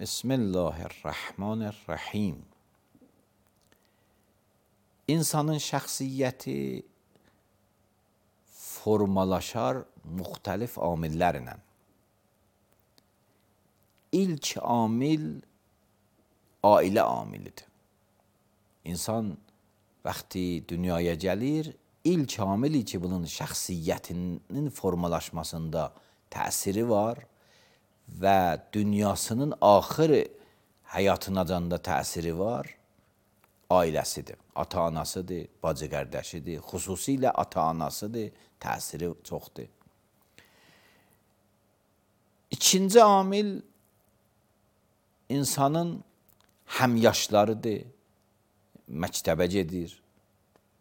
Bismillahirrahmanirrahim. İnsanın şəxsiyyəti formalaşar müxtəlif amillərlə. İlk amil ailə amilidir. İnsan vaxtı dünyaya gəlir, ilk amili ki, bunun şəxsiyyətinin formalaşmasında təsiri var və dünyasının axır həyatınacanda təsiri var, ailəsidir, ata-anasıdır, bacı-qardaşıdır, xüsusilə ata-anasıdır, təsiri çoxdur. İkinci amil insanın həmyaşlarıdır, məktəbə gedir,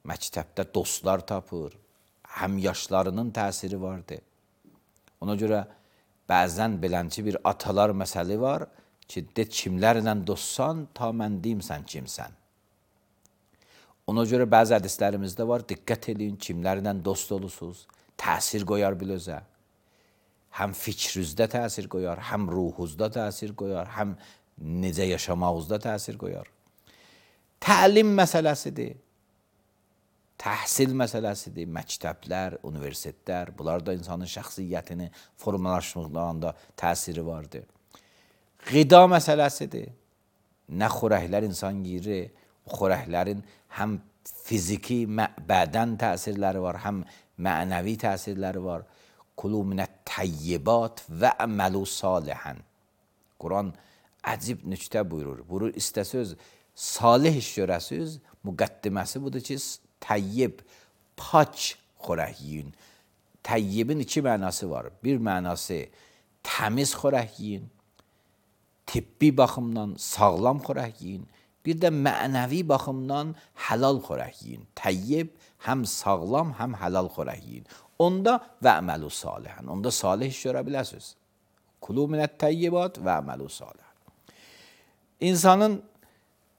məktəbdə dostlar tapır, həmyaşlarının təsiri vardır. Ona görə bəzən belənçi bir atalar məsəli var ki, de kimlərlə dostsan, ta mən deyim sən kimsən. Ona görə bəzi hədislərimizdə var, diqqət edin, kimlərlə dost olursunuz, təsir qoyar bilözə. Həm fikrinizdə təsir qoyar, həm ruhunuzda təsir qoyar, həm necə yaşamağınızda təsir qoyar. Təlim məsələsidir, təhsil məsələsidir, məktəblər, universitetlər, bunlar da insanın şəxsiyyətini formalaşdırmağında təsiri vardır. Qida məsələsidir, nə xörəklər insan yiyir, o xörəklərin həm fiziki, bədən təsirləri var, həm mənəvi təsirləri var. Kulu minət təyyibat və əməlu salihən. Quran əcib nüktə buyurur. Buyurur, istəsöz, salih iş görəsiz, müqəddiməsi budur ki, təyyib, pak xörək yiyin. Təyyibin iki mənası var. Bir mənası təmiz xörək yiyin, tibbi baxımdan sağlam xörək yiyin. Bir də mənəvi baxımdan həlal xörək yiyin. Təyyib həm sağlam, həm həlal xörək yiyin. Onda və əməlu salihən. Onda salih iş görə biləsiniz. Kulu minət təyyibat və əməlu salihən. İnsanın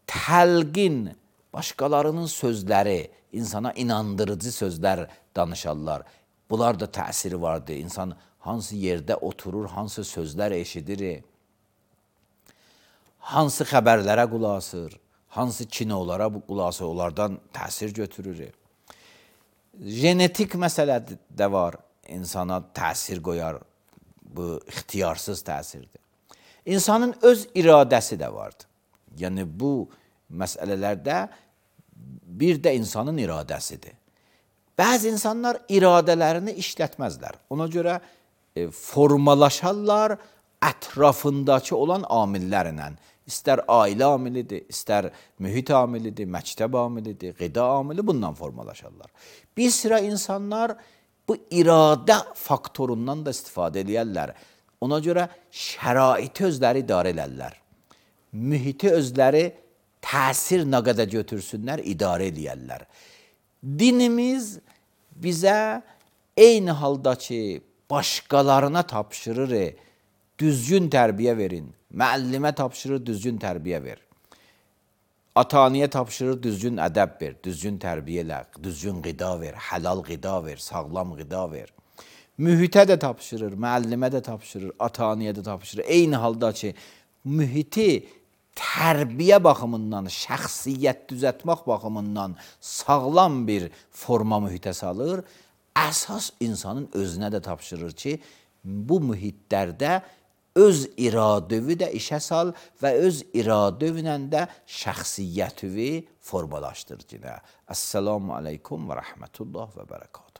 təlqin, başqalarının sözləri, insana inandırıcı sözlər danışarlar. Bunlar da təsiri vardır. İnsan hansı yerdə oturur, hansı sözlər eşidir, hansı xəbərlərə qulaq asır, hansı kinolara qulaq asır, onlardan təsir götürür. Genetik məsələ də var, insana təsir qoyar, bu ixtiyarsız təsirdir. İnsanın öz iradəsi də vardır. Yəni bu məsələlərdə bir də insanın iradəsidir. Bəzi insanlar iradələrini işlətməzlər. Ona görə formalaşarlar ətrafındakı olan amillərlə. İstər ailə amilidir, istər mühit amilidir, məktəb amilidir, qida amili, bundan formalaşarlar. Bir sıra insanlar bu iradə faktorundan da istifadə edirlər. Ona görə şəraiti özləri idarə edirlər. Mühiti özləri təsir nə qədər götürsünlər, idarə edirlər. Dinimiz bizə eyni halda ki, başqalarına tapşırır, düzgün tərbiyə verin. Müəllimə tapşırır, düzgün tərbiyə ver. Ata-anaya tapşırır, düzgün ədəb ver, düzgün tərbiyə elə, düzgün qida ver, həlal qida ver, sağlam qida ver. Mühitə də tapşırır, müəllimə də tapşırır, ata-anaya da tapşırır. Eyni halda ki, mühiti tərbiyə baxımından, şəxsiyyət düzəltmək baxımından sağlam bir forma mühitə salır. Əsas insanın özünə də tapşırır ki, bu mühitlərdə öz iradəvi də işə sal və öz iradəvinə də şəxsiyyətivi formalaşdır. Əssalamu aleykum və rəhmətullah və bərəkatuhu.